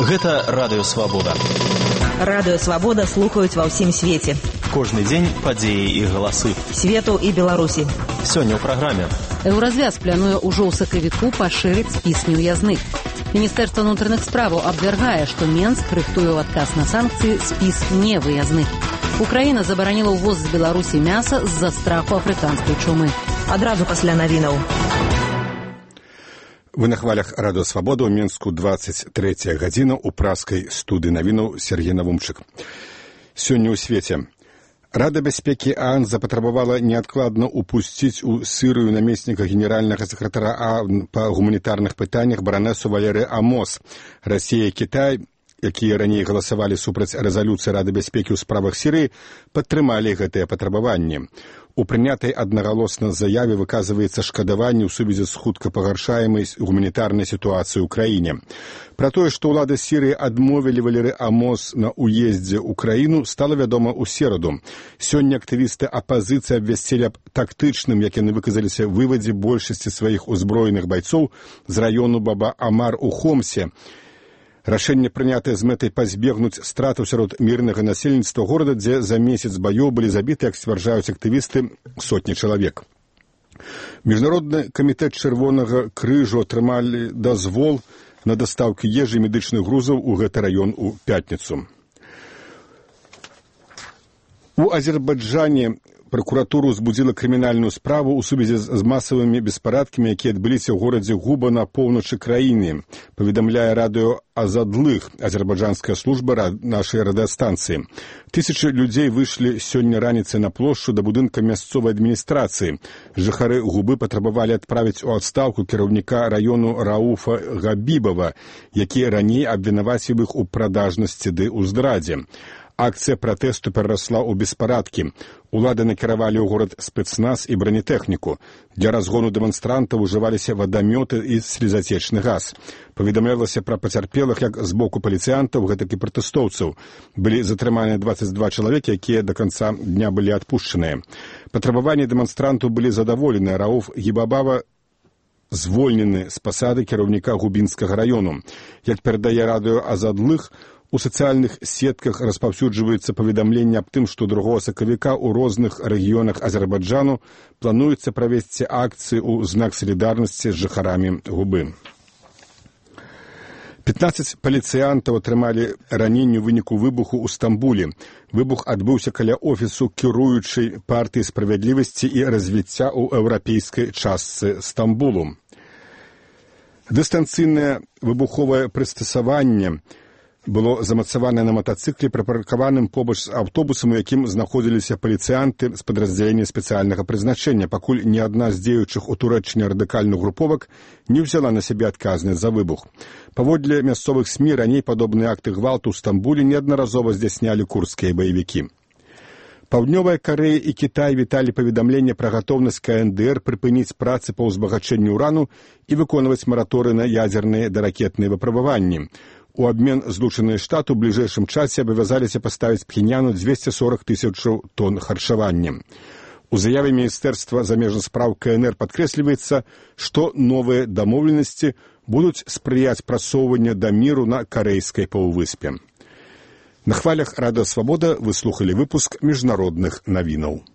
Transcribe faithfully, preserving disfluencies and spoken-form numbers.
Гэта Радыё Свабода. Радыё Свабода слухаюць ва ўсім свеце. Кожны дзень падзеі і галасы. Свету і Беларусі. Сёння ў праграме. Еўразвяз плануе ўжо ў сакавіку пашырыць спіс неўязных. Міністэрства ўнутраных справаў абвяргае, што Менск рыхтуе ў адказ на санкцыі спіс невыязных. Украіна забараніла ўвоз з Беларусі мяса з-за страху афрыканскай чумы. Адразу пасля навінаў. Вы на хвалях Радыё Свабода ў Менску двадцать третья гадзіна ў праскай студыі навінаў Сергей Навумчык. Сёння ў свеце. Рада бяспекі ААН запатрабавала неадкладна упусціць у Сырыю намесніка генеральнага сакратара ААН па гуманітарных пытаннях баранесу Валеры Амос. Расія і Кітай, якія раней галасавалі супраць рэзалюцыі Рады бяспекі ў справах Сірыі, падтрымалі гэтыя патрабаванні. У прынятай аднагалосна заяве выказваецца шкадаванне ў сувязі з хутка пагаршаемай гуманітарнай сітуацыяй у краіне. Пра тое, што ўлады Сірыі адмовілі Валеры Амос на ўездзе ў краіну, стала вядома ў сераду. Сёння актывісты апазіцыі абвясцілі аб тактычным, як яны выказаліся, вывадзе большасці сваіх узброеных байцоў з раёну Баба-Амар у Хомсе. Рашэнне прынятае з мэтай пазбегнуць стратаў сярод мірнага насельніцтва горада, дзе за месяц баёў былі забіты, як сцвярджаюць актывісты, сотні чалавек. Міжнародны камітэт Чырвонага крыжу атрымалі дазвол на дастаўкі ежы і медычных грузаў у гэты раён у пятніцу. У Азербайджане пракуратура ўзбудзіла крымінальную справу ў сувязі з масавымі беспарадкамі, якія адбыліся ў горадзе Губа на поўначы краіны, паведамляе радыё Азадлых, азербайджанская служба нашай радыёстанцыі. Тысячы людзей выйшлі сёння раніцай на плошчу да будынка мясцовай адміністрацыі. Жыхары Губы патрабавалі адправіць у адстаўку кіраўніка раёну Рауфа Габібава, які раней абвінаваціў іх у прадажнасці ды ў здрадзе. Акцыя пратэсту перарасла ў беспарадкі. Улады накіравалі ў горад спецназ і бронетэхніку. Для разгону дэманстрантаў ужываліся вадамёты і слезацечны газ. Паведамлялася пра пацярпелых як з боку паліцыянтаў, гэтак і пратэстоўцаў. Былі затрыманыя двадцать два чалавекі, якія да канца дня былі адпушчаныя. Патрабаванні дэманстрантаў былі задаволены. Рауф Гібабава звольнены з пасады кіраўніка Губінскага раёну. Як перадае радыё Азадлых, у сацыяльных сетках распаўсюджваецца паведамленне аб тым, што другога сакавіка ў розных рэгіёнах Азербайджану плануецца правесці акцыі ў знак салідарнасці з жыхарамі Губы. пятнаццаць паліцыянтаў атрымалі раненні ў выніку выбуху ў Стамбуле. Выбух адбыўся каля офісу кіруючай партыі справядлівасці і развіцця ў еўрапейскай частцы Стамбулу. Дыстанцыйнае выбуховае прыстасаванне было замацаванае на матацыкле, прыпаркаваным побач з аўтобусам, у якім знаходзіліся паліцыянты з падраздзялення спецыяльнага прызначэння, пакуль ні адна з дзеючых у Турэччыне радыкальных груповак не ўзяла на сябе адказнасць за выбух. Паводле мясцовых СМІ раней падобныя акты гвалту ў Стамбуле неаднаразова здзяйснялі курдскія баевікі. Паўднёвая Карэя і Кітай віталі паведамленне пра гатоўнасць КНДР прыпыніць працы па ўзбагачэнню ўрану і выконваць мараторы на ядзерныя даракетныя выпрабаванні. У абмен Злучаныя Штаты ў бліжэйшым часе абавязаліся паставіць Пхеньяну двести сорок тысячаў тонн харчавання. У заяве Міністэрства замежных спраў КНР падкрэсліваецца, што новыя дамоўленасці будуць спрыяць прасоўванню да міру на карэйскай паўвыспе. На хвалях Радыё Свабода вы слухалі выпуск міжнародных навінаў.